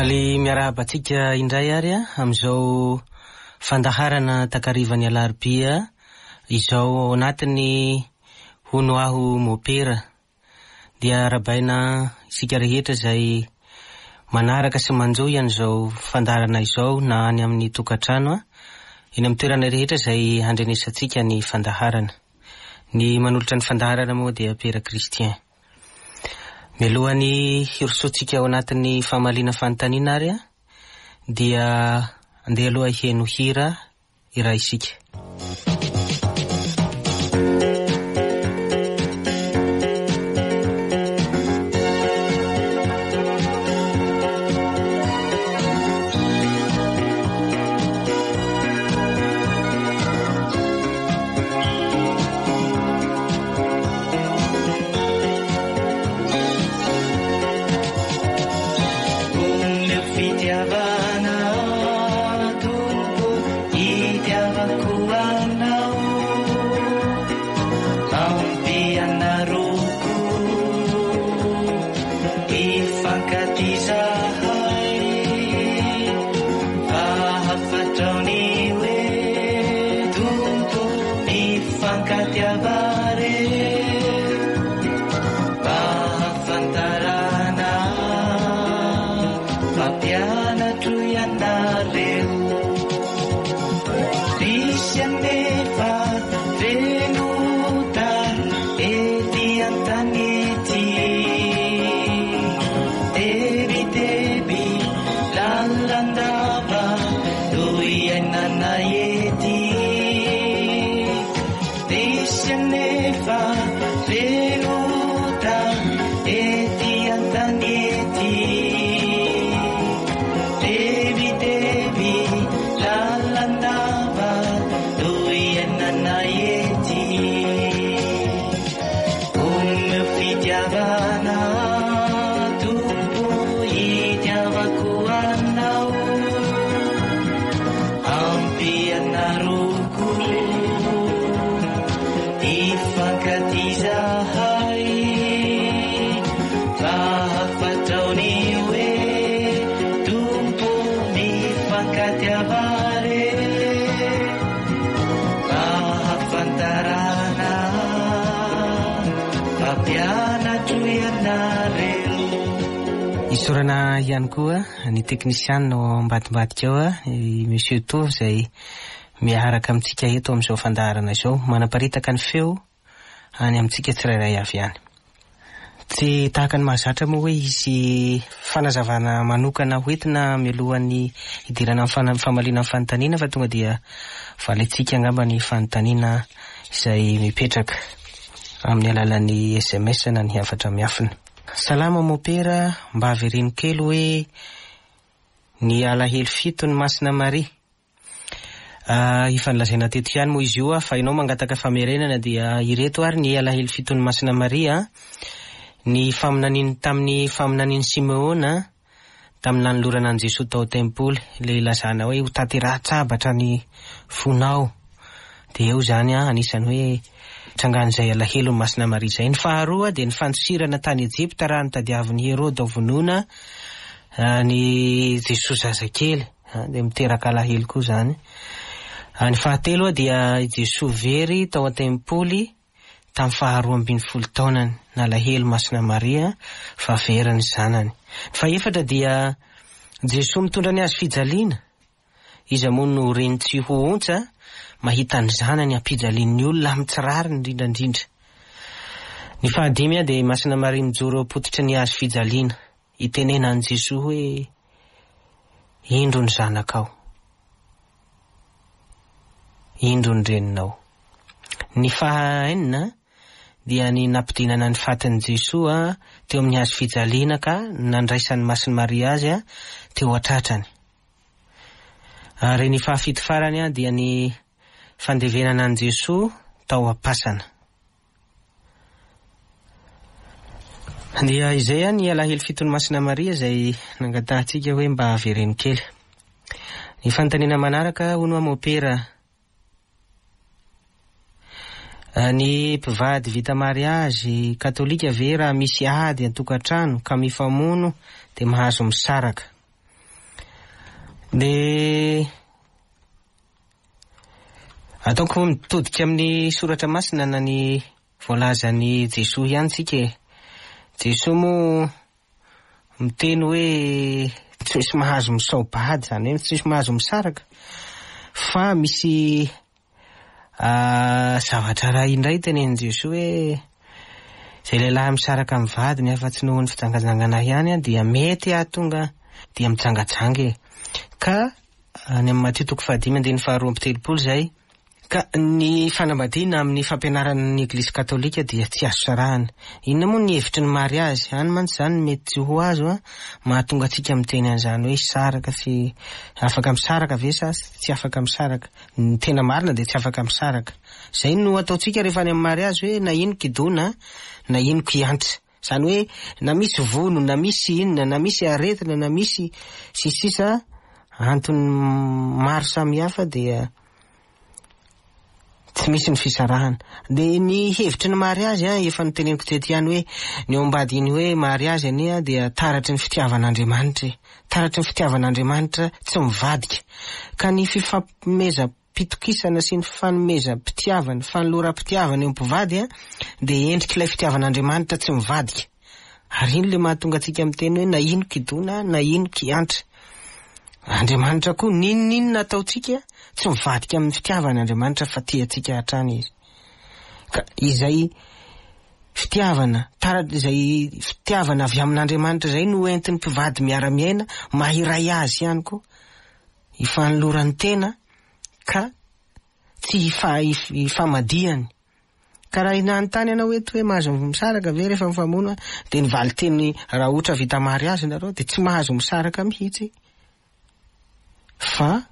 Faly miarahaba antsika indray ary amin'izao fandaharana takarivan'ny alarobia izao ao anatin'ny Hono Aho Mopera. Dia arahabaina isika rehetra izay manaraka sy manjohy an'izao fandaharana izao na any amin'ny tokantrano, eny amin'ny toerana rehetra izay handrenesantsika ny fandaharana. Ny manolotra ny fandaharana moa dia Pera Christian. Mialohan'ny hirosoantsika ao anatin'ny famaliana fanontaniana ary dia andeha aloha hiheno hira iray isika. Isaorana ihany koa ny teknisianina ao ambadimbadika ao, i Monsieur Tovo izay miaraka amintsika eto amin'izao fandaharana izao, manaparitaka ny feo any amintsika tsirairay avy any. Tsy tahaka ny mahazatra moa hoe hisy fanazavana manokana hoentina mialohan'ny hidirana amin'ny famaliana ny fanontaniana fa tonga dia valintsika angamba ny fanontaniana izay mipetraka amin'ny alalan'ny sms na ny hafatra miafina. Salama mopera, mba avereno kely hoe ny alahelo fiton'i Masina Maria. Efa nolazaina teto ihany moa izy io fa ianao mangataka famerenana dia ireto ary ny alahelo fiton'i Masina Maria, ny faminaniany tamin'ny faminanian'i Simeona tamin'ny nanolorana an'i Jesoa tao tempoly, ilay ilazana hoe ho tanterahan-tsabatra ny fonao. Dia eo izany anisan'ny hoe trangan'izay alahelon'i Masina Maria izay. Ny faharoa dia ny fandosirana tany Ejipta raha notadiavin'i Heroda hovonoina ny Jesoa zazakely. Dia miteraka alahelo koa izany. Ny fahatelo dia i Jesoa very tao an-tempoly tamin'ny faharoa ambin'ny folo taonany. Nalahelo Masina Maria fa very ny zanany. Ny fahefatra dia Jesoa mitondra ny hazo fijaliana. Iza moa no reny tsy ho ontsa mahita ny zanany ampijalian'ny olona amin'ny tsy rariny indrindra indrindra. Ny fahadimy dia Masina Maria mijoro eo am-pototry ny hazo fijaliana. Itenenan'i Jesoa hoe, Indro ny zanakao. Indro ny reninao. Ny faha enina dia ny nampidinana ny fatin'i Jesoa teo amin'ny hazo fijaliana ka nandraisan'i Masin'i Maria azy teo an-tratrany. Ary ny fahafito farany dia ny fandevenana an'i Jesoa tao am-pasana. Dia izay ny alahelo fiton'i Masina Maria izay nangatahantsika hoe mba avereno kely. Ny fanontaniana manaraka hono aho mopera. Ny mpivady vita mariazy katolika ve raha misy ady an-tokantrano ka mifamono dia mahazo misaraka? Dia ataoko mitodika amin'ny soratra masina na ny voalazan'i Jesoa ihany tsika e. Jesoa moa miteny hoe tsy misy mahazo misao-bady, izany hoe tsy misy mahazo misaraka fa misy Zavatra iray indray tenenin'i Jesoa hoe izay lehilahy misaraka amin'ny vadiny afa-tsy noho ny fijangajangana ihany dia mety hahatonga dia mijangajanga e. Ka any amin'ny Matio toko fahadimy andininy faharoa amby telopolo izay. Ka ny fanambadiana amin'ny fampianaran'ny Eglizy Katolika dia tsy azo sarahana. Inona moa ny hevitry ny mariazy? Any mantsy izany no mety tsy ho azo an, mahatonga antsika miteny an'izany hoe hisaraka sy afaka misaraka ve sa tsy afaka misaraka. Ny tena marina dia tsy afaka misaraka. Izay no ataontsika rehefa any amin'ny mariazy hoe na ino kidona na ino kiantra. Izany hoe na misy vono na misy inona na misy aretina na misy sy sisa antony maro samihafa dia tsy misy ny fisarahana. Dia ny hevitry ny mariazy an, efa noteneniko teto ihany hoe ny ao ambadiny hoe mariazy anie dia taratry ny fitiavan'Andriamanitra e. Taratry ny fitiavan'Andriamanitra tsy mivadika. Ka ny fifampomezam-pitokisana sy ny fanomezam-pitiavana, fanoloram-pitiavana eo mpivady dia endrik'ilay fitiavan'Andriamanitra tsy mivadika. Ary iny ilay mahatonga antsika miteny hoe na ino kidona na ino kiantra. Andriamanitra koa n'inon'inona ataontsika tsy mivadika amin'ny fitiavany Andriamanitra fa tia antsika hatrany izy. Ka izay fitiavana, tara- izay fitiavana avy amin'Andriamanitra izay no entin'ny mpivady miara-miaina maha-iray azy ihany koa, hifanolorany tena ka tsy hifa- hifamadihany. Ka raha nanontany ianao eto hoe mahazo misaraka ve rehefa mifamono dia ny valinteny raha ohatra vita mariazy nareo dia tsy mahazo misaraka mihitsy fa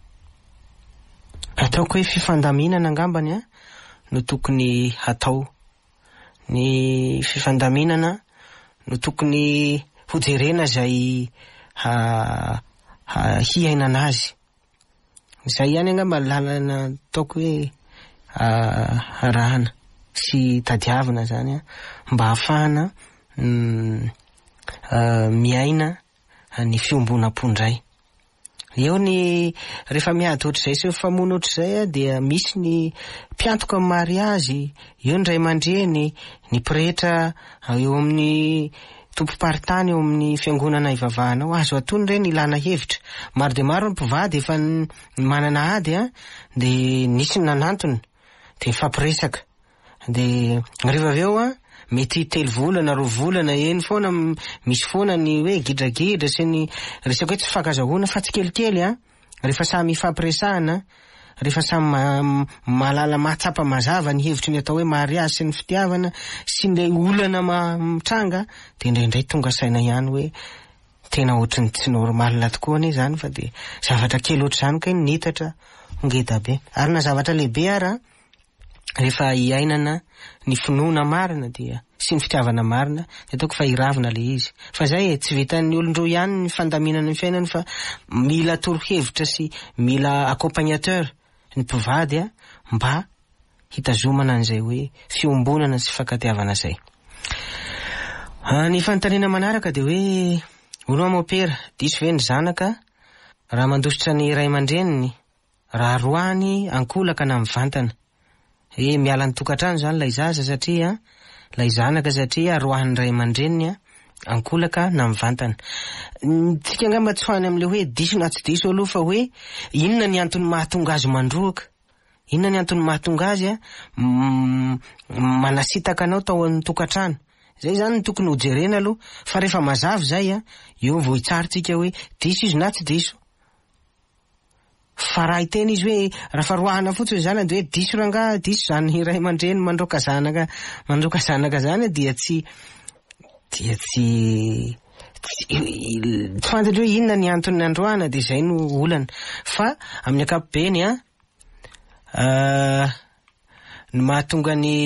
ataoko hoe fifandaminana angambany an no tokony hatao. Ny fifandaminana no tokony hojerena izay hiainana azy. Izay ihany angamba ny lalana ataoko hoe arahana sy tadiavina izany an, mba hahafahana miaina ny fiombonam-po indray. Eo ny rehefa miady ohatr'izay sy mifamono ohatr'izay dia misy ny mpiantoka amin'ny mariazy, eo ny ray aman-dreny, ny pretra eo amin'ny tompom-paritany eo amin'ny fiangonana ivavahana ao. Azo atony ireny ilana hevitra. Maro dia maro ny mpivady efa manana ady dia nisy ny nanantona dia nifampiresaka. Dia rehefa avy eo an, mety telo volana, roa volana eny foana misy foana ny hoe gidragidra sy ny resaka hoe tsy fifankazahoana fa tsikelikely an, rehefa samy ifampiresahana, rehefa samy mahalala mahatsapa mazava ny hevitry ny atao hoe mariazy sy ny fitiavana sy ny olana mitranga dia indraindray tonga saina ihany hoe tena ohatry ny tsy normal tokoa anie izany fa dia zavatra kely ohatr'izany kay no nitatra ho ngeda be. Ary na zavatra lehibe ara rehefa iainana ny finoana marina dia sy ny fitiavana marina dia ataoko fa hiravina le izy. Fa zay e, tsy vitan'ny olon-droa ihany ny fandaminana ny fiainany fa mila torohevitra sy mila accompagnateur ny mpivady a mba hitazomana an'izay hoe fiombonana sy fifankatiavana zay. Ny fanontaniana manaraka dia hoe hono aho mopera, diso ve ny zanaka raha mandositra ny ray aman-dreniny? Raha roahiny ankolaka na mivantana. He miala ny tokantrano izany ilay zaza satria ilay zanaka satria roahin'ny ray aman-dreniny ankolaka na mivantana. Tsika angamba tsy ho any amin'ilay hoe diso na tsy diso aloha fa hoe inona ny antony mahatonga azy mandroaka? Inona ny antony mahatonga azy manasitaka anao tao amin'ny tokantrano? Izay izany no tokony hojerena aloha fa rehefa mazava izay eo vao hitsara tsika hoe diso izy na tsy diso. Fa raha hiteny izy hoe raha fa roahana fotsiny ny zanany dia hoe diso rangaha, diso izany ray aman-dreny mandroaka zanaka mandroaka zanaka izany dia tsy dia tsy tsy tsy fantatra hoe inona ny antony nandroahana dia izay no olana. Fa amin'ny ankapobeny an, ny mahatonga ny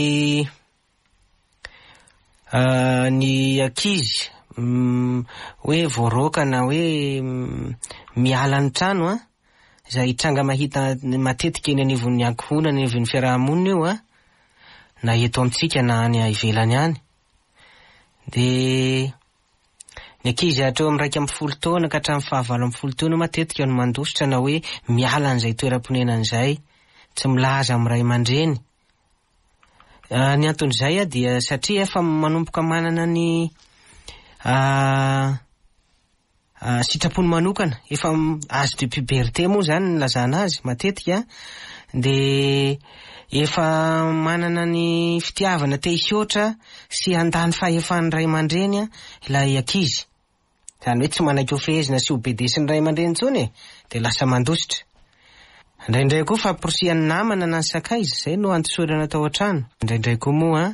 Ny ankizy hoe voaroaka na hoe miala ny trano an, izay tranga mahita matetika eny anivon'ny ankohonana, eny anivon'ny fiaraha-monina io an, na eto amintsika na any ivelany any, dia. Ny ankizy hatreo amin'ny 11 taona ka hatramin'ny faha-18 taona matetika no mandositra na hoe miala an'izay toeram-ponenana izay, tsy milaza amin'ny ray aman-dreny. Ny anton'izay dia satria efa manomboka manana ny sitrapony manokana, efa âge de puberté moa izany ny ilazana azy matetika, dia efa manana ny fitiavana te hihoatra sy handany fahefan'ny ray aman-dreny ilay ankizy. Izany hoe tsy manaiky ho fehezina sy ho bedesin'ny ray aman-dreny intsony e, dia lasa mandositra. Indraindray koa famporisihan'ny namana na ny sakaiza, izay no andisorana tao an-trano. Indraindray koa moa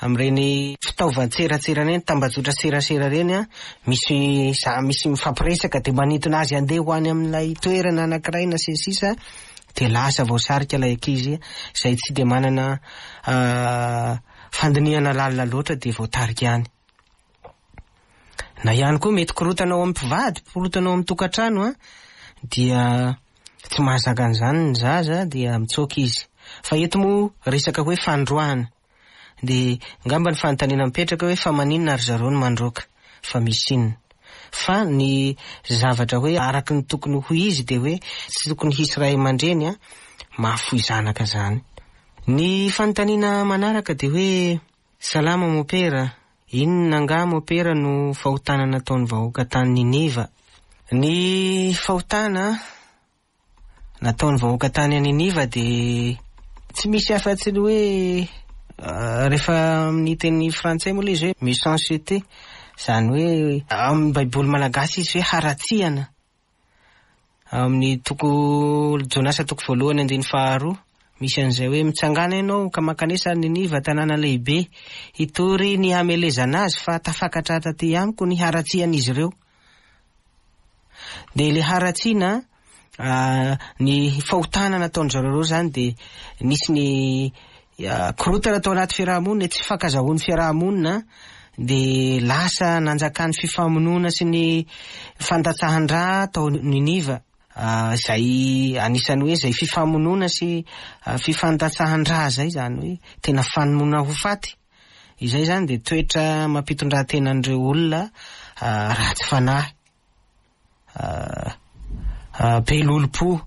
amin'ireny fitaovan-tserasera ireny, tambajotra serasera ireny, misy za misy mifampiresaka dia manintona azy handeha ho any amin'ilay toerana anankiray na sy ny sisa, dia lasa voasarika ilay ankizy izay tsy dia manana fandinihana lalina loatra dia voatarika any. Na ihany koa mety korontana ao amin'ny mpivady, korontana ao amin'ny tokantrano an, dia tsy mahazaka an'izany ny zaza dia mitsoaka izy. Fa eto moa resaka hoe fandroahana. Dia angamba ny fanontaniana mipetraka hoe fa maninona ry zareo no mandroaka? Fa misy inona? Fa ny zavatra hoe araka ny tokony ho izy dia hoe tsy tokony hisy ray aman-dreny an mahafoy zanaka izany. Ny fanontaniana manaraka dia hoe Salama mopera, inona angaha mopera no fahotana nataon'ny vahoaka tany Niniva? Ny fahotana nataon'ny vahoaka tany Niniva dia tsy misy afa-tsy ny hoe rehefa amin'ny teny frantsay moa ilay izy hoe méchanceté, izany hoe amin'ny baiboly malagasy izy hoe haratsiana. Amin'ny toko Jonasa toko voalohany andininy faharoa, misy an'izay hoe mitsangàna ianao ka mankanesa any Niniva tanàna lehibe, hitory ny hamelezana azy fa tafakatra taty amiko ny haratsian'izy ireo. Dia ilay haratsiana, ny fahotana nataon-dry zareo ireo izany dia nisy ny Korontana tao anaty fiaraha-monina, tsy fifankazahoan'ny fiaraha-monina dia lasa nanjakan'ny fifamonoana sy ny fandatsahan-drà tao Niniva, izay anisan'ny hoe izay fifamonoana sy fifandatsahan-drà izay, izany hoe tena famonoana ho faty. Izay izany dia toetra amam-pitondran-tenan'ireo olona ratsy fanahy, be lolompo.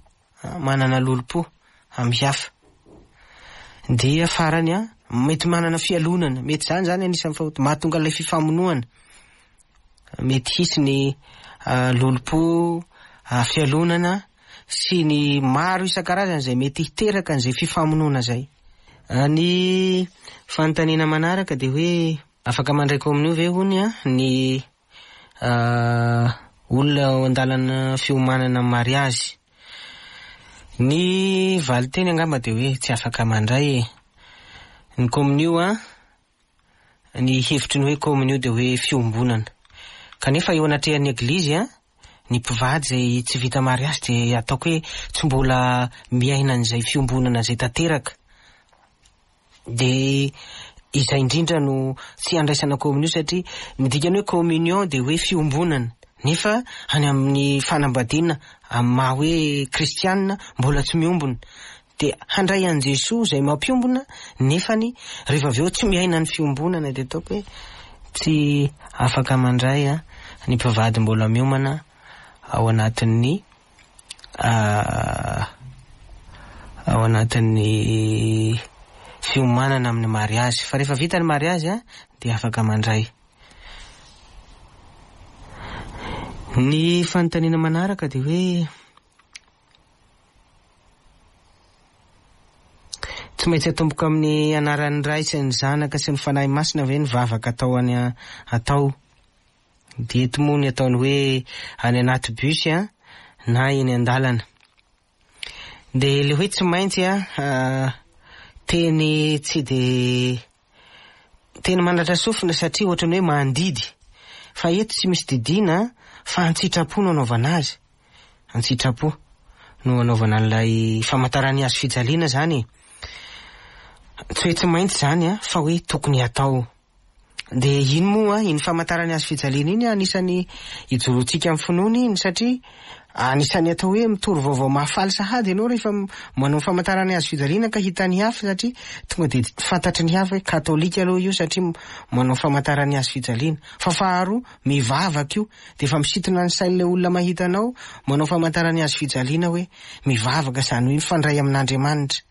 Manana lolompo amin'ny hafa. Dia farany an, mety manana fialonana, mety izany izany anisan'ny fahotana, mahatonga ilay fifamonoana. Mety hisy ny lolompo, fialonana sy ny maro isan-karazany izay mety hiteraka an'izay fifamonoana izay. Ny fanontaniana manaraka dia hoe afaka mandray kominio ve hono ny Olona ao an-dalana fiomanana amin'ny mariazy. Ny valinteny angamba dia hoe tsy afaka mandray e. Ny kominio an, ny hevitry ny hoe kominio dia hoe fiombonana. Kanefa eo anatrehan'ny eglizy an, ny mpivady izay tsy vita mariazy dia ataoko hoe tsy mbola miaina an'izay fiombonana izay tanteraka. Dia izay indrindra no tsy andraisana communion satria ny dikan'ny hoe communion dia hoe fiombonana nefa any amin'ny fanambadiana amin'ny maha hoe kristianina mbola tsy miombona dia handray an'i Jesoa izay mampiombona nefany rehefa avy eo tsy miaina ny fiombonana dia ataoko hoe tsy afaka mandray ny mpivady mbola miomana ao anatin'ny ao anatin'ny fiomanana amin'ny mariazy. Fa rehefa vita ny mariazy dia afaka mandray. Ny fanontaniana manaraka dia hoe tsy maintsy atomboka amin'ny anaran'ny Ray sy ny Zanaka sy ny Fanahy Masina ve ny vavaka atao any atao? Dia eto moa ny ataony hoe any anaty bus an, na eny an-dalana. Dia ilay hoe tsy maintsy an, teny tsy dia teny mandratra sofina satria ohatran'ny hoe mandidy. Fa eto tsy misy didiana fa an-tsitrapo no anaovana azy. An-tsitrapo no anaovana an'ilay famantaran'ny hazo fijaliana izany e. Tsy hoe tsy maintsy izany an, fa hoe tokony hatao. Dia iny moa, iny famantaran'ny hazo fijaliana iny anisan'ny ijoroantsika amin'ny finoana iny satria Anisan'ny atao hoe mitory vaovao mahafaly sahady ianao rehefa manao ny famantarana ny hazo fijaliana ka hitan'ny hafa satria tonga dia fantatry ny hafa hoe katolika aloha io satria manao famantarana ny hazo fijaliana. Fa faharoa, mivavaka io dia efa misintona ny sain'ilay olona mahita anao manao famantarana ny hazo fijaliana hoe mivavaka izany hoe mifandray amin'Andriamanitra.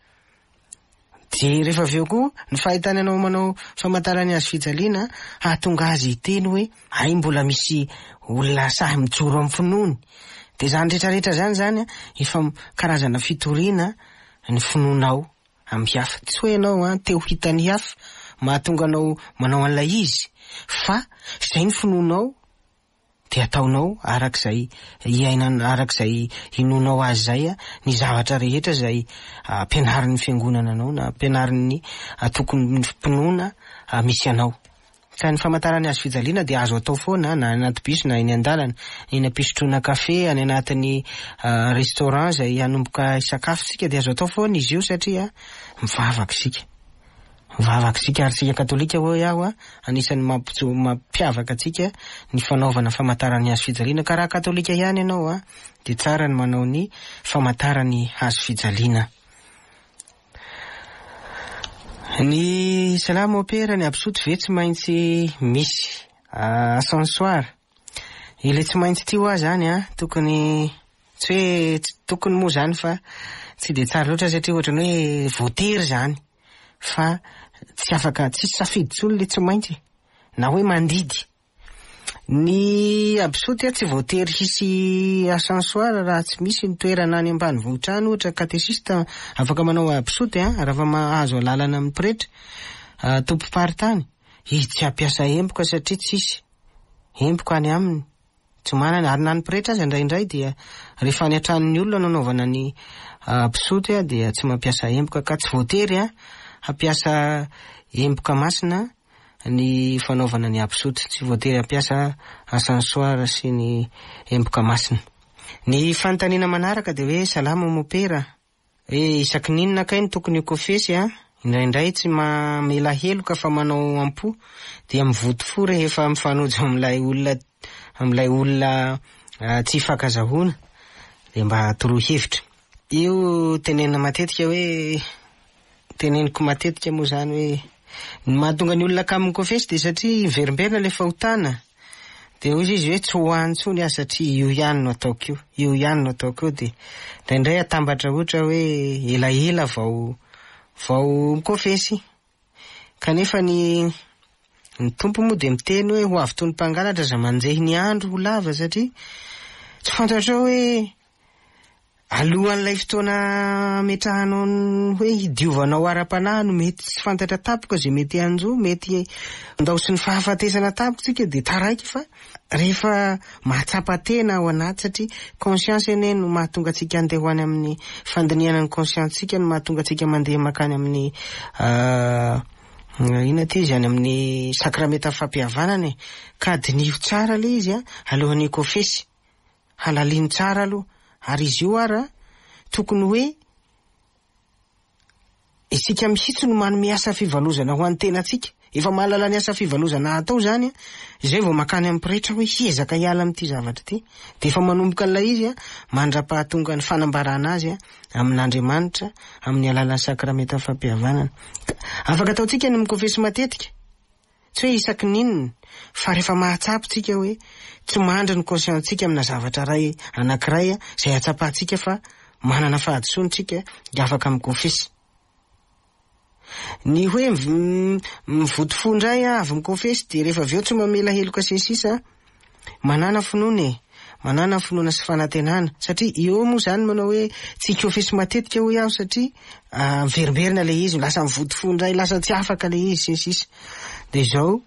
Dia rehefa avy eo koa, ny fahitany anao manao famantarana ny hazo fijaliana hahatonga azy hiteny hoe hay mbola misy olona sahy mijoro amin'ny finoany. Dia izany rehetra rehetra izany izany efa karazana fitoriana ny finoanao amin'ny hafa. Tsy hoe ianao an, te ho hitan'ny hafa mahatonga anao manao an'ilay izy fa izay ny finoanao dia ataonao araka izay iainana, araka izay inoanao azy izay ny zavatra rehetra izay ampianarin'ny fiangonana anao na ampianarin'ny antokon'ny mpinoana misy anao. Ka ny famantarana ny hazo fijaliana dia azo atao foana na any anaty bus na eny an-dalana, eny am-pisotroana kafe, any anatin'ny restaurant izay hanomboka hisakafo isika dia azo atao foana izy io satria mivavaka isika. Mivavaka isika ary isika katolika hoy aho a, anisan'ny mampijo- mampiavaka antsika ny fanaovana famantaran'ny hazo fijaliana ka raha katolika ihany ianao a dia tsara ny manao ny famantaran'ny hazo fijaliana. Ny salamo opera ny absoto ve tsy maintsy misy ascensoir? Ilay tsy maintsy ity hoa zany a tokony tsy hoe tsy tokony moa zany fa tsy dia tsara loatra satria ohatran'ny hoe voatery zany fa tsy afaka tsisy safidy intsony le tsy maintsy na hoe mandidy. Ny absoty a tsy voatery hisy ascensoir raha tsy misy ny toerana any ambanivohitra any ohatra katesista afaka manao absoty a raha fa mahazo alalana amin'ny pretra tompom-paritany izy tsy hampiasa emboka satria tsisy emboka any aminy. Tsy manana, ary na ny pretra aza indraindray dia rehefa any an-tranon'ny olona no anaovana ny mpisoty dia tsy mampiasa emboka ka tsy voatery hampiasa emboka masina ny fanaovana ny absoty, tsy voatery hampiasa encensoir sy ny emboka masina. Ny fanontaniana manaraka dia hoe salama mopera, Hoe isaky ny inona kay no tokony ho kofesy a? Indraindray tsy mamela heloka fa manao am-po dia mivoto fo rehefa mifanojo amin'ilay olona amin'ilay olona tsy ifankazahoana dia mba toroy hevitra. Io tenenina matetika hoe teneniko matetika moa izany hoe ny mahatonga ny olona kamo mikofesy dia satria miverimberina ilay fahotana. Dia hoy izy hoe tsy ho any intsony aho satria io ihany no ataoko io, io ihany no ataoko io. Dia indraindray atambatra ohatra hoe elaela vao vao mikofesy. Kanefa ny ny Tompo moa dia miteny hoe ho avy toy ny mpangalatra aza manjehy ny andro ho lava satria tsy fantatrao hoe Alohan'ilay fotoana ametrahanao ny hoe hidiovanao ara-panahy no mety tsy fantatra tampoka izay mety hanjo, mety handaosin'ny fahafatesana tampoka isika dia taraiky fa rehefa mahatsapa tena ao anaty satria conscience anie no mahatonga antsika handeha ho any amin'ny fandinihana ny conscience-tsika no mahatonga antsika mandeha mankany amin'ny inona ity izy any amin'ny sakramenta fampihavanana e, ka diniho tsara ilay izy a, alohan'ny hikofesy. Halalino tsara aloha. Ary izy io ara tokony hoe isika mihitsy no manome asa fivalozana ho an'ny tenantsika. Efa mahalala ny asa fivalozana atao izany, izay vao mankany amin'ny pretra hoe hiezaka hiala amin'ity zavatra ity. Dia efa manomboka an'ilay izy mandra-pahatonga ny fanambarana azy amin'Andriamanitra amin'ny alalan'ny sakramentan'ny fampihavanana. Afaka ataontsika ny mikofesy matetika. Tsy hoe isaky ny inona, fa rehefa mahatsapa isika hoe tsy mandry ny conscience-ntsika amina zavatra iray anankiray izay ahatsapantsika fa manana fahadisoana isika dia afaka mikofesy. Ny hoe mivoto fo indray avy mikofesy dia rehefa avy eo tsy mamela heloka sy ny sisa, Manàna finoana e! Manàna finoana sy fanantenana. Satria eo moa izany manao hoe tsy hikofesy matetika hoy aho satria miverimberina ilay izy, lasa mivoto fo indray, lasa tsy afaka ilay izy sy ny sisa. Dia izao,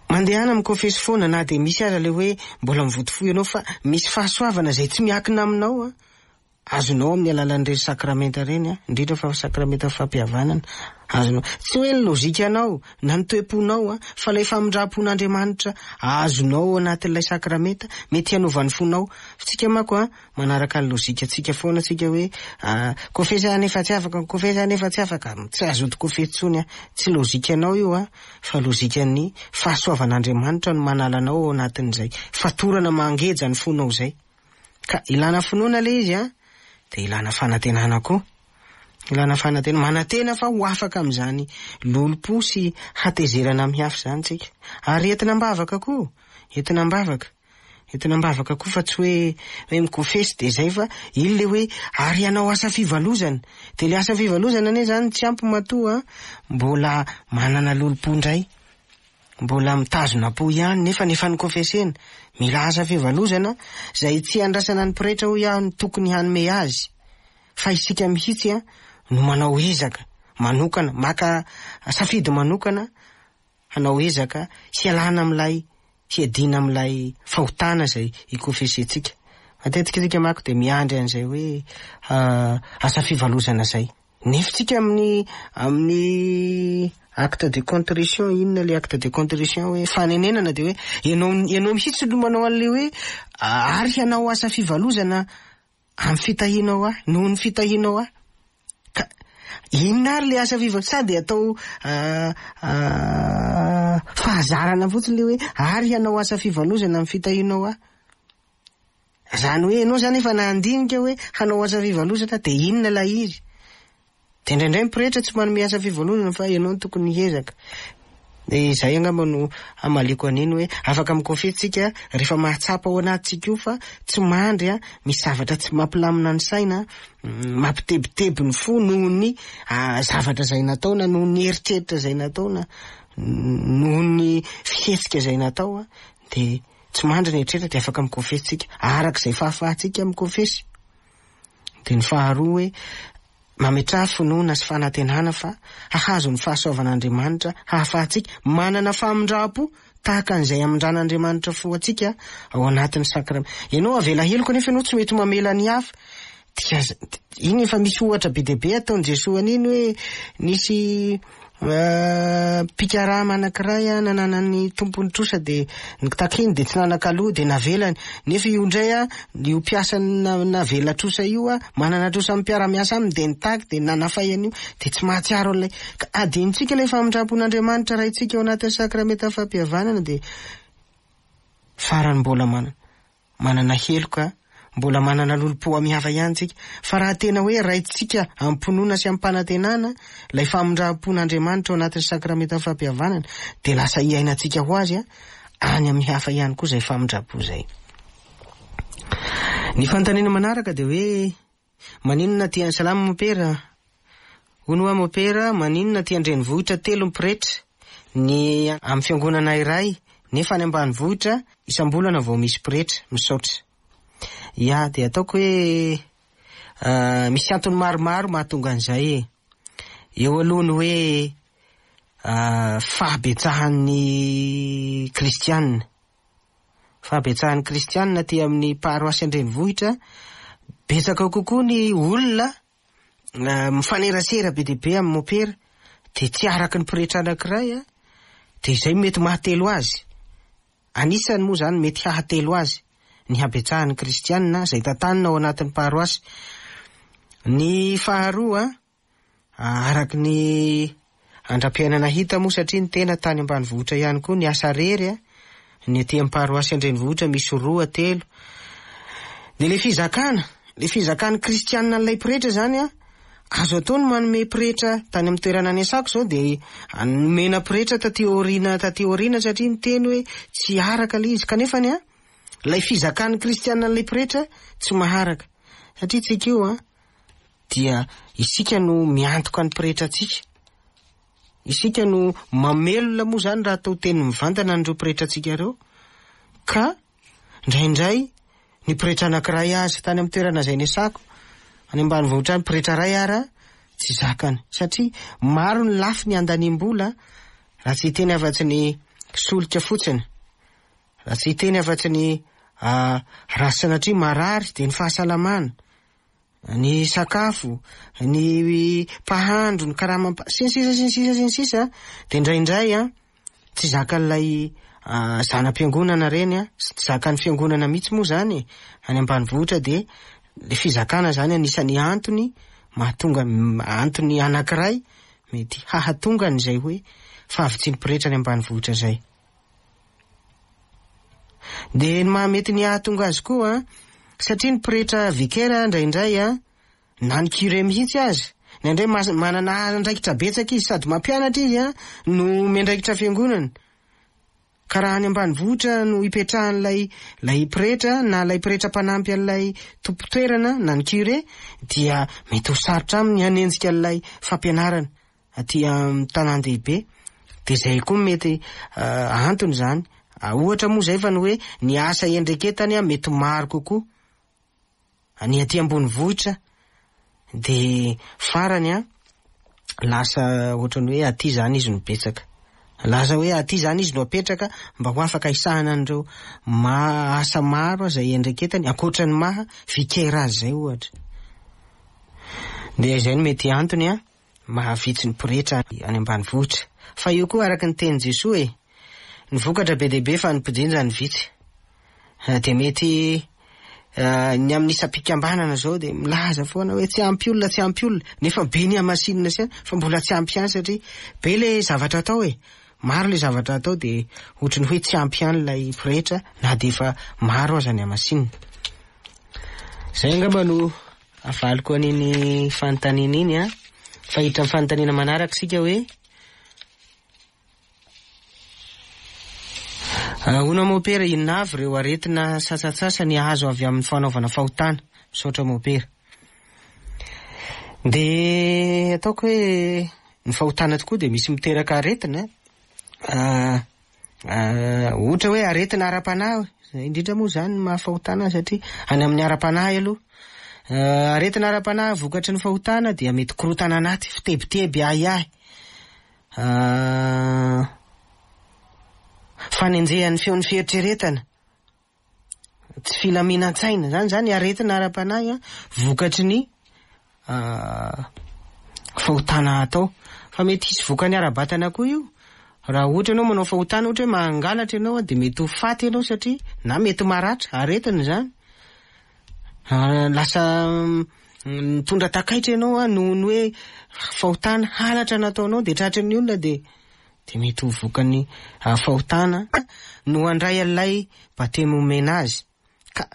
mandehana mikofesy foana na dia misy aza ilay hoe mbola mivoto fo ianao fa misy fahasoavana izay tsy miankina aminao an! Azonao amin'ny alalan'ireny sakramenta ireny, indrindra fa sakramenta fampihavanana, azonao. Tsy hoe ny lojikanao na ny toe-ponao, fa ilay famindram-pon'Andriamanitra azonao ao anatin'ilay sakramenta, mety hanova ny fonao. Fa tsika manko an, manaraka ny lojikantsika foana tsika hoe, kofesy aho nefa tsy afaka, kofesy aho nefa tsy afaka. Tsy azoto kofesy intsony an. Tsy lojikanao io an, fa lojikan'ny fahasoavan'Andriamanitra no manala anao ao anatin'izay fatorana mangeja ny fonao izay. Ka ilana finoana ilay izy an, dia ilana fanantenana koa. Ilana fanantena, manantena fa ho afaka amin'izany lolompo sy hatezerana amin'ny hafa izany tsika. Ary entina am-bavaka koa, entina am-bavaka. Entina am-bavaka koa fa tsy hoe hoe mikofesy dia izay fa iny ilay hoe ary hanao asa fivalozana. Dia ilay asa fivalozana anie izany tsy ampy matoa mbola manana lolompo indray. Mbola mitazona am-po ihany nefa ny efa nikofesena. Mila asa fivalozana izay tsy andrasana ny pretra hoy aho no tokony hanome azy fa isika mihitsy no manao ezaka manokana, maka safidy manokana hanao ezaka hialana amin'ilay hiadiana amin'ilay fahotana izay ikofesentsika. Matetika isika manko dia miandry an'izay hoe asa fivalozana izay. Nefa tsika amin'ny amin'ny acte de contrition, inona le acte de contrition hoe fanenenana de hoe ianao ianao mihitsy no manao an'le hoe ary hanao asa fivalozana amin'ny fitahianao ahy, noho ny fitahianao ahy. Ka inona ary le asa fivalozana? Sa de atao fahazarana fotsiny le hoe ary hanao asa fivalozana amin'ny fitahianao ahy. Zany hoe ianao zany efa nandinika hoe hanao asa fivalozana dia inona ilay izy? Dia indraindray ny pretra tsy manome asa fivalozana fa ianao no tokony hiezaka. Dia izay angamba no hamaliako an'iny hoe afaka mikofehy tsika rehefa mahatsapa ao anatintsika io fa tsy mandry an, misy zavatra tsy mampilamina ny saina, mampitebiteby ny fo noho ny zavatra izay natao na noho ny eritreritra izay natao na noho ny fihetsika izay natao an, dia Tsy mandry ny eritreritra dia afaka mikofesy tsika araka izay fahafahantsika mikofesy. Dia ny faharoa hoe mametraha finoana sy fanantenana fa hahazo ny fahasoavan'Andriamanitra hahafahantsika manana famindram-po tahaka an'izay amindran'Andriamanitra fo antsika ao anatin'ny sakramenta. Ianao avela heloka nefa ianao tsy mety mamela ny hafa. Dia iny efa misy ohatra be dia be ataon'i Jesoa an'iny hoe nisy mpikarama anankiray nananan'ny tompony trosa dia nitakiany dia tsy nanan-kaloa dia navelany. Nefa io indray io mpiasa navela trosa io manana trosa amin'ny mpiara-miasa aminy dia nitaky dia nanafay an'io dia tsy mahatsiaro an'ilay. Ka adinontsika ilay famindram-pon'Andriamanitra Raintsika ao anatin'ny sakramenta fampihavanana dia farany mbola manana. Manana heloka, mbola manana lolompo amin'ny hafa ihany tsika. Fa raha tena hoe raintsika amim-pinoana sy amim-panantenana ilay famindram-pon'Andriamanitra ao anatin'ny sakramentan'ny fampihavanana, dia lasa iainantsika ho azy any amin'ny hafa ihany koa izay famindram-po izay. Ny fanontaniana manaraka dia hoe, Maninona aty Salama Mopera? Hono hoa Mopera, maninona aty an-drenivohitra telo ny pretra ny amin'ny fiangonana iray nefa any ambanivohitra isam-bolana vao misy pretra? Misaotra. Ya, dia ataoko hoe misy antony maromaro mahatonga an'izay e. Eo aloha ny hoe fahabetsahan'ny kristiana. Fahabetsahan'ny kristianina aty amin'ny paroasy an-drenivohitra, betsaka kokoa ny olona mifanerasera be dia be amin'ny mopera, dia tsy araka ny pretra anankiray an, dia izay mety mahatelo azy. Anisany moa izany mety hahatelo azy ny habetsahan'ny kristianina izay tantanina ao anatin'ny paroasy. Ny faharoa Araka ny andram-piainana hita moa satria ny tena tany ambanivohitra ihany koa niasa rery a, ny aty amin'ny paroasy an-drenivohitra misy roa, telo. Dia ilay fizakana, ilay fizakan'ny kristianina an'ilay pretra izany a, azo atao ny manome pretra tany amin'ny toerana niasako izao dia nomena pretra taty aoriana taty aoriana satria niteny hoe tsy araka ilay izy kanefa ny a, ilay fizakan'ny kristianina an'ilay pretra tsy maharaka satria tsika io a, dia isika no miantoka ny pretra antsika. Isika no mamelona moa izany raha atao teny mivantana an'ireo pretra antsika ireo. Ka indraindray ny pretra anankiray aza tany amin'ny toerana izay niasako, any ambanivohitra any, pretra iray ara tsy zakany. Satria maro ny lafiny andaniam-bola raha tsy hiteny afa-tsy ny solika fotsiny. Raha tsy hiteny afa-tsy ny raha sanatria marary dia ny fahasalamana. ny sakafo, ny mpahandro, ny karamam-, sy ny sisa sy ny sisa sy ny sisa, dia indraindray an, tsy zakan'ilay zana-piangonana ireny an, sy tsy zakan'ny fiangonana mihitsy moa izany e, any ambanivohitra dia ilay fizakana izany anisan'ny antony mahatonga, antony anankiray mety hahatonga an'izay hoe fahavitsian'ny pretra any ambanivohitra izay. Dia ny mahamety ny hahatonga azy koa an, satria ny pretra vicaire indraindray an, na ny curé mihitsy aza, indraindray manana andraikitra betsaka izy, sady mampianatra izy an, no miandraikitra fiangonana. Ka raha any ambanivohitra no ipetrahan'ilay ilay pretra na ilay pretra mpanampy an'ilay tompon-toerana na ny curé dia mety ho sarotra aminy hanenjika an'ilay fampianarana aty amin'ny tanàn-dehibe. Dia izay koa mety antony izany. Ohatra moa izay fa ny hoe ny asa iandraiketany mety maro kokoa. Ny aty ambonivohitra dia farany an, lasa ohatran'ny hoe aty izany izy no betsaka. Lasa hoe aty izany izy no apetraka mba ho afaka hisahana an'ireo ma- asa maro izay iandraiketany ankoatra ny maha vicaire azy izay ohatra. Dia izay no mety antony an, maha vitsy ny pretra any ambanivohitra. Fa io koa araka ny tenin'i Jesoa e, ny vokatra be dia be fa ny mpijinja no vitsy. Dia mety ny amin'ny isam-pikambanana izao dia milaza foana hoe tsy ampy olona, tsy ampy olona, nefa be ny hamasinina sy fa mbola tsy ampy ihany satria be ilay zavatra atao e. Maro ilay zavatra atao dia ohatry ny hoe tsy ampy ihany ilay pretra na dia efa maro aza ny hamasinina. Izay angamba no avaliko an'iny fanontaniana iny an. Fa hiditra amin'ny fanontaniana manaraka isika hoe Ahoana mopera, inona avy ireo aretina sasantsasany azo avy amin'ny fanaovana fahotana? Misaotra mopera. Dia ataoko hoe ny fahotana tokoa dia misy miteraka aretina. Ohatra hoe aretina ara-panahy, indrindra moa izany ny maha fahotana azy satria any amin'ny ara-panahy aloha. Aretina ara-panahy vokatry ny fahotana dia mety korontana anaty, fitebiteby, ahiahy. Fanenjehan'ny feon'ny fieritreretana, tsy filaminan-tsaina, zany zany aretina ara-panahy vokatry ny fahotana atao. Fa mety hisy vokany ara-batana koa io. Raha ohatra ianao manao fahotana, ohatra hoe mangalatra ianao dia mety ho faty ianao satria na mety maratra, aretina izany. Lasa mitondra takaitra ianao an, noho ny hoe fahotana, halatra nataonao dia tratry ny olona dia dia mety ho vokany fahotana no handray an'ilay batemy omena azy. Ka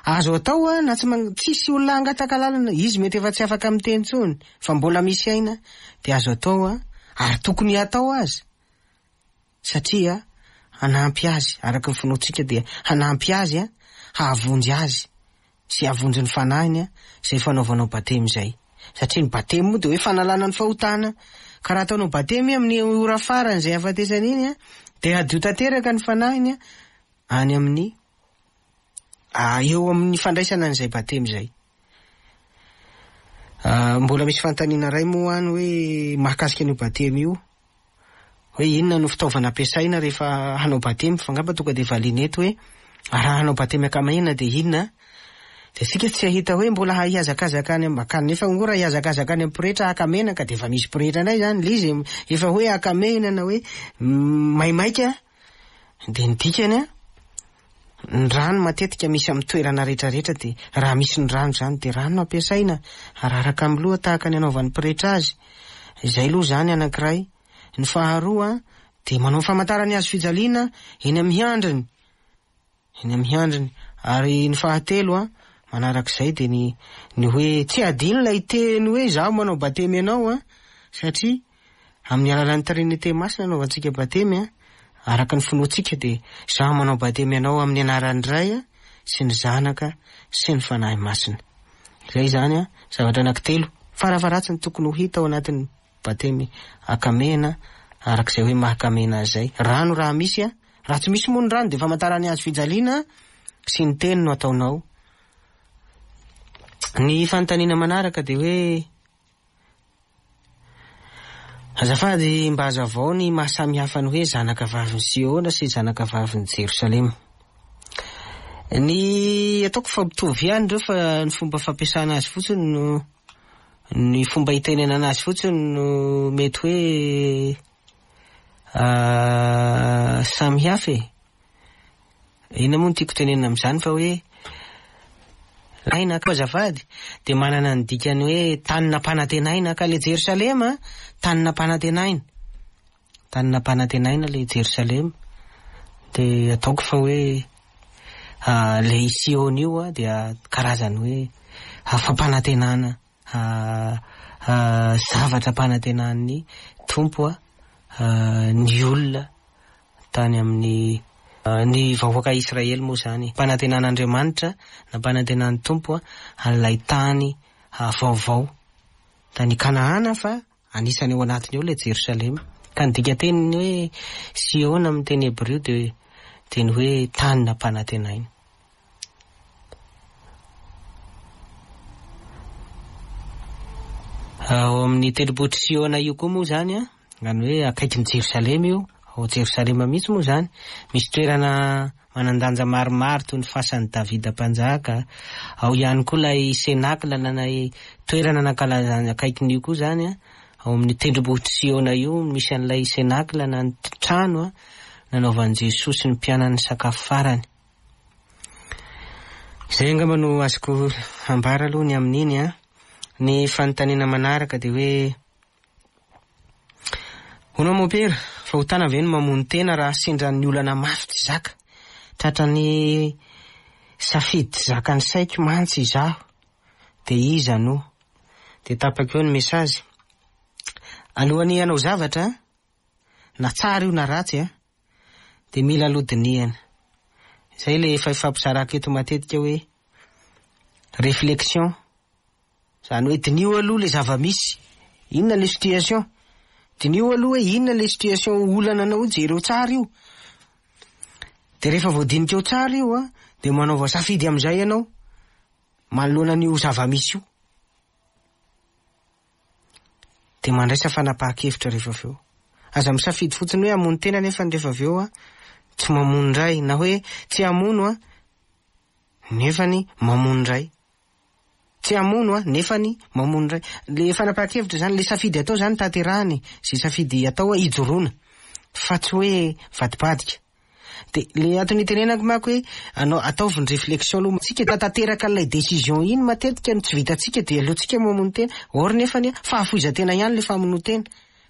azo atao an, na tsy tsisy olona hangataka lalana, izy mety efa tsy afaka miteny intsony fa mbola misy aina dia azo atao an, ary tokony hatao aza. Satria hanampy azy, araka ny finoantsika dia hanampy azy hahavonjy azy sy hahavonjy ny fanahiny izay fanaovanao batemy izay. Satria ny batemy moa dia hoe fanalana ny fahotana. Ka raha ataonao batemy amin'ny ora farany izay hahafatesany iny dia hadio tanteraka ny fanahiny any amin'ny eo amin'ny fandraisana an'izay batemy izay. Mbola misy fanontaniana iray moa any hoe mahakasika an'io batemy io. Hoe inona no fitaovana ampiasaina rehefa hanao batemy, fa angamba tonga dia valiana eto hoe raha hanao batemy ankamahina dia inona? Dia isika tsy hahita hoe mbola hihazakazaka any am-, kanefa moa raha hihazakazaka any amin'ny pretra haka menaka dia efa misy pretra indray izany ilay izy, efa hoe haka mena na hoe maimaika dia ny dikany an, ny rano matetika misy amin'ny toerana rehetra rehetra dia raha misy ny rano izany dia rano no ampiasaina, araraka amin'ny loha tahaka ny anaovan'ny pretra azy. Izay aloha izany anankiray. Ny faharoa dia manao ny famantaran'ny hazo fijaliana eny amin'ny handriny. Eny amin'ny handriny. Ary ny fahatelo manarak'izay dia ny ny hoe tsy adino ilay teny hoe izaho manao batemy anao an, satria amin'ny alalan'ny Trinite Masina anaovantsika batemy an, araka ny finoantsika dia izaho manao batemy anao amin'ny anaran'ny Ray sy ny Zanaka sy ny Fanahy Masina. Izay izany an, zavatra anankitelo farafaharatsiny tokony ho hita ao anatin'ny batemy akamena araka izay hoe mahakamena azy izay. Rano raha misy an, raha tsy misy moa ny rano dia famantaran'ny hazo fijaliana sy ny teny no ataonao. Ny fanontaniana manaraka dia hoe Azafady mba hazavao ny maha samy hafa ny hoe zanaka vavin'i Siona sy zanaka vavin'i Jerosalema. Ny ataoko fa mitovy ihany ireo fa ny fomba fampiasana azy fotsiny no ny fomba hitenenana azy fotsiny no mety hoe samy hafa e. Inona moa no tiako tenenina amin'izany fa hoe aina koa azafady dia manana ny dikany hoe tany nampanantenaina ka le Jerosalema tany nampanantenaina. Tany nampanantenaina le Jerosalema dia ataoko fa hoe le i Siona io dia karazany hoe fampanantenana zavatra ampanantenan'ny Tompo ny olona tany amin'ny ny vahoaka Israely moa izany. Nampanantenan'Andriamanitra, nampanantenan'ny Tompo an'ilay tany vaovao tany Kanahana fa Anisany ao anatiny ao ilay Jerosalema. Ka ny dikatenin'ny hoe Siona amin'ny teny hebreo dia dia ny hoe tany nampanantenaina. Ao amin'ny tendrombohitr'i Siona io koa moa izany an, izany hoe akaikin'i Jerosalema io, ao Jerosalema mihitsy moa izany, misy toerana manan-danja maromaro toy ny fasan'i Davida Mpanjaka. Ao ihany koa ilay Cenacle na ilay toerana nankalazana akaikin'io koa izany, ao amin'ny tendrombohitr'i Siona io misy an'ilay Cenacle na ny trano nanaovan'i Jesoa sy ny mpianany sakafo farany. Izay angamba no azoko ambara aloha ny amin'iny an. Ny fanontaniana manaraka dia hoe Hono mompera, fahotana ve ny mamono tena raha sendra ny olana mafy tsy zaka? Tratran'ny safidy tsy zakan'ny saiko mantsy izaho, dia iza no. Dia tapaka eo ny message. Alohan'ny hanao zavatra, na tsara io na ratsy an, dia mila aloha dinihana. Izay ilay efa ifampizarako eto matetika hoe réflexion. Izany hoe diniho aloha ilay zava-misy, inona ilay situation, diniho aloha hoe inona ilay situation olana anao io, jereo tsara io. Dia rehefa voadinika ao tsara io an, dia manaova safidy amin'izay ianao manoloana an'io zava-misy io. Dia mandraisa fanapahan-kevitra rehefa avy eo. Aza misafidy fotsiny hoe hamono tena nefa rehefa avy eo an, tsy mamono indray, na hoe tsy hamono an, nefany mamono indray. Tsy hamono an, nefany mamono indray. Le fanapahan-kevitra zany, le safidy atao zany tanterahana e, ze safidy atao an ijoroana fa tsy hoe vadibadika. De le antony itenenako manko hoe anao ataovy ny réflexion aloha, tsika tanteraka an'ilay décision iny matetika no tsy vitantsika de aleontsika mamono tena, or nefany an fahafoizan-tena ihany le famonoan-tena,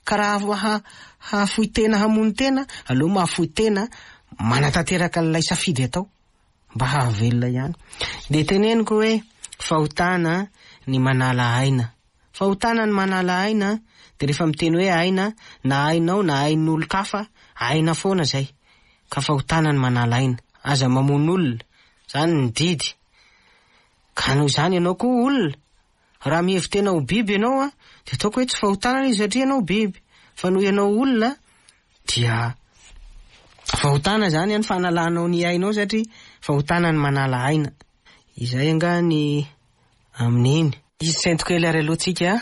ka raha hahafoy tena hamono tena aleo mahafoy tena manatanteraka an'ilay safidy atao. Mba hahavelona ihany. Dia teneniko hoe fahotana ny manala aina. Fahotana ny manala aina, dia rehefa miteny hoe aina, na ainao na ain'olon-kafa, aina foana izay. Ka fahotana ny manala aina. Aza mamono olona. Izany ny didy. Ka noho izany ianao koa olona. Raha mihevi-tena ho biby ianao an, dia ataoko hoe tsy fahotana ilay izy satria ianao biby. Fa noho ianao olona dia fahotana izany an, fanalanao ny ainao satria fahotana ny manala aina. Izay angaha ny amin'iny. Hisento kely ary aloha tsika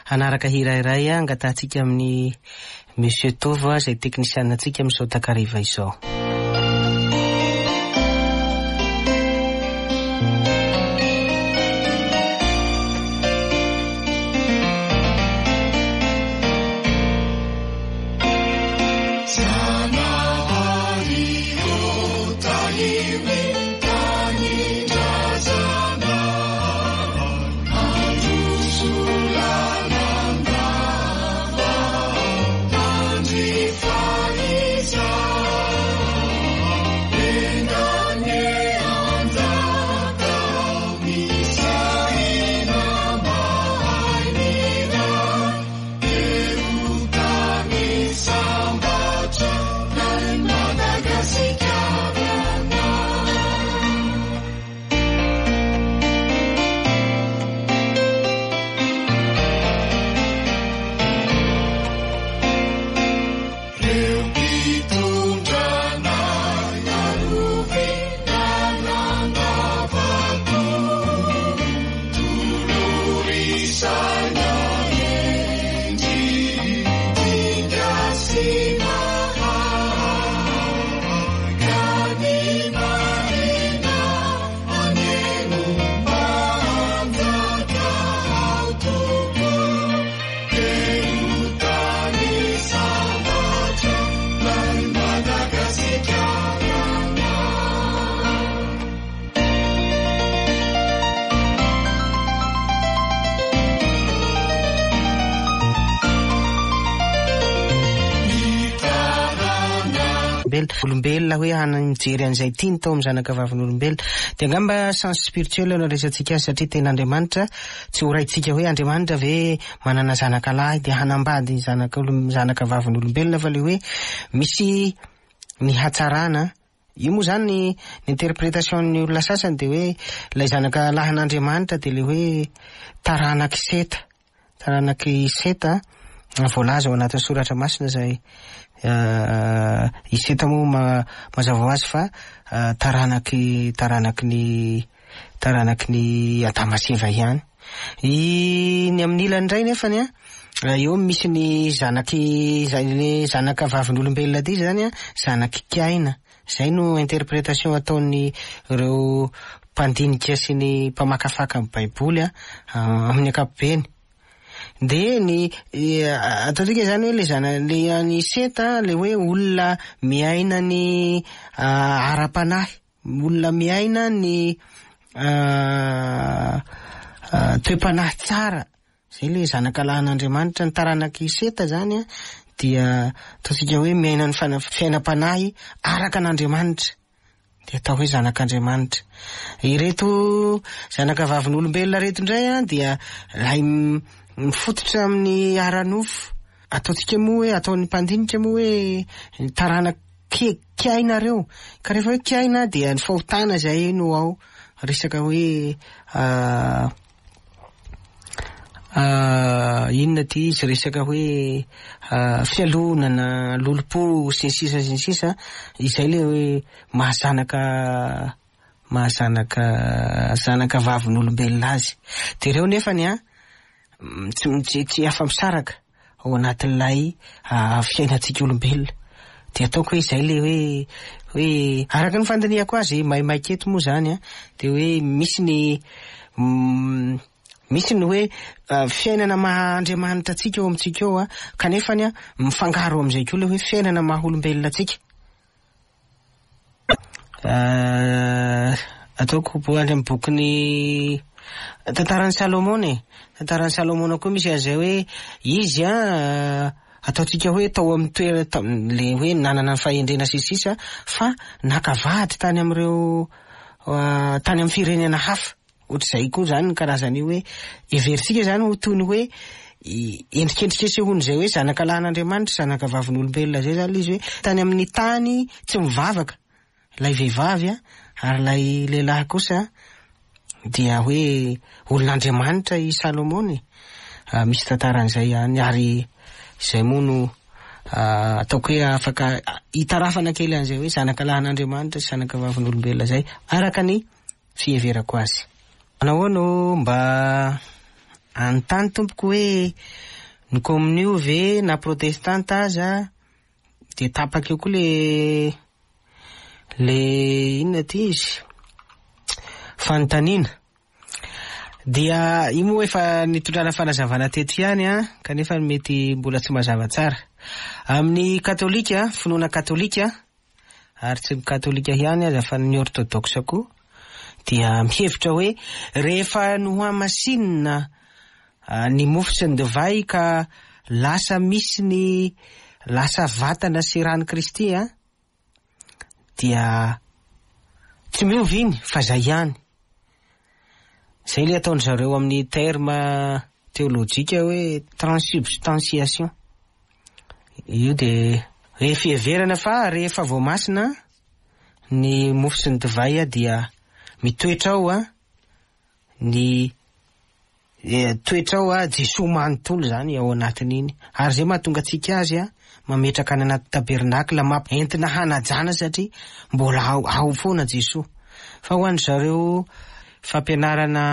hanaraka hira iray angatahantsika amin'i Monsieur Tovo izay teknisianina antsika amin'izao takariva izao. olombelona. Olombelona hoe hana mijery an'izay tiany tao amin'ny zanaka vavin'olombelona. Dia angamba sens spirituel no andraisantsika azy satria tena Andriamanitra, tsy ho raintsika hoe Andriamanitra ve manana zanaka lahy dia hanambady zanaka zanaka vavin'olombelona fa le hoe misy ny hatsarana. Io moa izany ny interpretation-n'ny olona sasany dia hoe ilay zanaka lahin'Andriamanitra dia ilay hoe taranak'i Seta. Taranak'i Seta voalaza ao anatin'ny soratra masina izay i Seta moa mazava ho azy fa taranaky taranaky ny taranaky ny Adama sy Eva ihany. I ny amin'ny ilany indray nefany an, eo misy ny zanaky izay le zanaka vavin'olombelona ity izany an, zanak'i Kaina. Izay no interpretation ataon'ny ireo mpandinika sy ny mpamakafaka ny baiboly amin'ny ankapobeny. Dia ny ataontsika izany hoe le zana le an'i Seta le hoe olona miaina ny ara-panahy, olona miaina ny toe-panahy tsara. Izay ilay zanaka lahin'Andriamanitra, ny taranak'i Seta izany dia ataontsika hoe miaina ny fiainam-panahy araka an'Andriamanitra, dia atao hoe zanak'Andriamanitra. Ireto zanaka vavin'olombelona ireto indray dia ilay mifototra amin'ny ara-nofo, ataontsika moa hoe, ataon'ny mpandinika moa hoe ny taranak'i Kaina ireo, ka rehefa hoe Kaina dia ny fahotana izay no ao, resaka hoe Inona ity izy resaka hoe fialonana, lolompo sy ny sisa sy ny sisa, izay le hoe mahazanaka mahazanaka zanaka vavin'olombelona azy. De ireo nefany an, tsy tsy afa-misaraka. ao anatin'ilay fiainantsika olombelona. Dia ataoko hoe izay ilay hoe hoe araka ny fandinihako azy maimaika eto moa izany an, dia hoe misy ny misy ny hoe fiainana maha Andriamanitra antsika ao amintsika ao an, kanefany an mifangaro amin'izay koa ilay hoe fiainana maha olombelona antsika. Ataoko any amin'ny bokin'ny tantaran'i Salomona e. Tantaran'i Salomona koa misy an'izay hoe izy an, ataontsika hoe tao amin'ny toerana le hoe nanana ny fahendrena sy ny sisa fa naka vady tany amin'ireo tany amin'ny firenena hafa. Ohatr'izay koa izany ny karazan'io hoe heverintsika izany ho toy ny hoe endrikendrika isehoan'izay hoe zanaka lahin'Andriamanitra, zanaka vavin'olombelona izay izany ilay izy hoe tany amin'ny tany tsy mivavaka ilay vehivavy ary ilay lehilahy kosa dia hoe olon'Andriamanitra i Salomona e. Misy tantaran'izay ihany ary izay moa no ataoko hoe afaka hitarafana kely an'izay hoe zanaka lahin'Andriamanitra sy zanaka vavin'olombelona izay araka ny fiheverako azy. Nahoana ô mba anontany tompoko hoe ny komonio ve na protestanta aza dia tapaka eo koa le le inona ty izy fanontaniana. Dia io moa efa nitondrana fanazavana teto ihany an, kanefa mety mbola tsy mazava tsara. Amin'ny katolika, finoana katolika, ary tsy ny katolika ihany aza fa ny orthodoxe koa dia mihevitra hoe rehefa nohamasinina ny mofo sy ny divay ka lasa misy ny lasa vatana sy ran'i Kristy an, dia tsy miova iny fa zay ihany. Zay le ataon-dry zareo amin'ny terme teolojika hoe transubstantiation. Io dia hoe fiheverana fa rehefa voamasina ny mofo sy ny divay dia mitoetra ao ny toetra ao Jesoa manontolo izany ao anatin'iny. Ary izay mahatonga antsika azy mametraka any anaty tabernakla mamp entina hanajana satria mbola ao ao foana Jesoa. Fa ho an-dry zareo fampianarana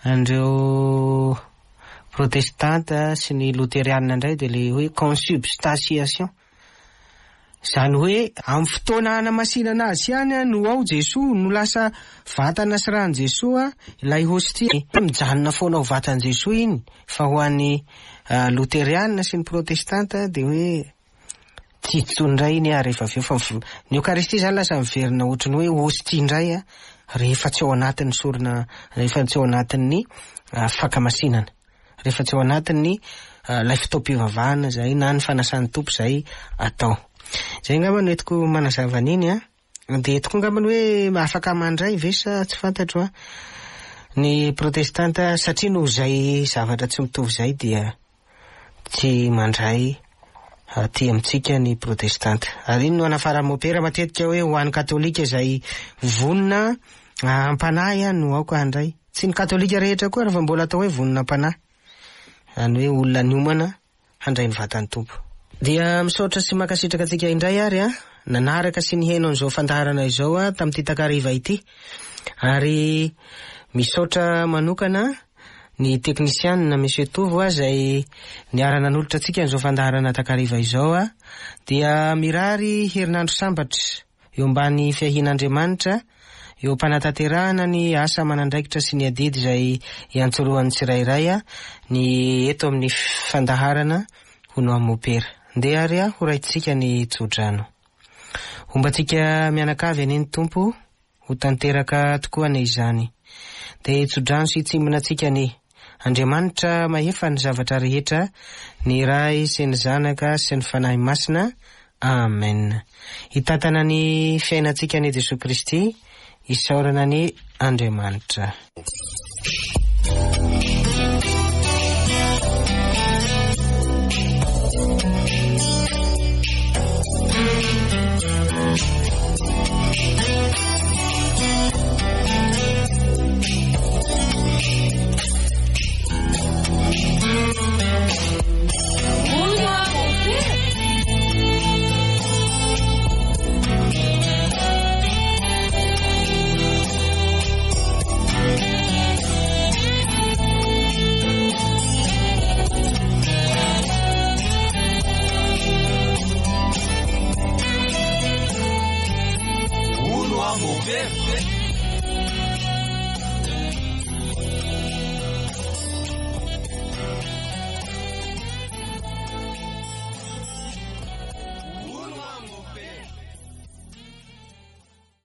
an'ireo protestanta sy ny loterianina indray dia ilay hoe consubstantiation. Izany hoe amin'ny fotoana hanamasinana azy ihany no ao Jesoa, no lasa vatana sy ràn'i Jesoa ilay hostia. Mijanona foana ho vatan'i Jesoa iny, fa ho an'ny loterianina sy ny protestanta dia hoe tsy izy intsony indray iny rehefa avy eo fa ny Eokaristia izany lasa miverina ohatry ny hoe hostia indray rehefa tsy ao anatin'ny sorona, rehefa tsy ao anatin'ny fankamasinana. rehefa tsy ao anatin'ny ilay fotoam-pivavahana izay na ny fanasan'ny Tompo izay atao. Izay angamba no entiko manazava an'iny an. Dia eto koa angambany hoe afaka mandray ve sa tsy fantatro an. Ny protestanta satria noho izay zavatra tsy mitovy izay dia tsy mandray aty amintsika ny protestanta. Ary iny no anafaran'ny mopera matetika hoe ho an'ny katolika izay vonona am-panahy no aoka handray. Tsy ny katolika rehetra koa ary fa mbola atao hoe vonona am-panahy. Izany hoe olona niomana handray ny vatan'ny Tompo. Dia misaotra sy mankasitraka antsika indray ary an, nanaraka sy nihaino an'izao fandaharana izao an tamin'ity takariva ity. Ary misaotra manokana ny teknisianina Monsieur Tovo a izay niara-nanolotra antsika an'izao fandaharana takariva izao a. Dia mirary herinandro sambatra eo ambany fiahian'Andriamanitra eo am-panatanterahana ny asa aman'andraikitra sy ny adidy izay iantsorohan'ny tsirairay ny eto amin'ny fandaharana Hono Aho Mopera. Ndeha ary ho raintsika ny tsodrano. Homba antsika mianakavy anie ny Tompo, ho tanteraka tokoa anie izany. Dia hitsodrano sy hitsimbina antsika anie. Andriamanitra mahefa ny zavatra rehetra, ny Ray sy ny Zanaka sy ny Fanahy Masina. Amen. Hitantana ny fiainantsika anie Jesoa Kristy, isaorana anie Andriamanitra.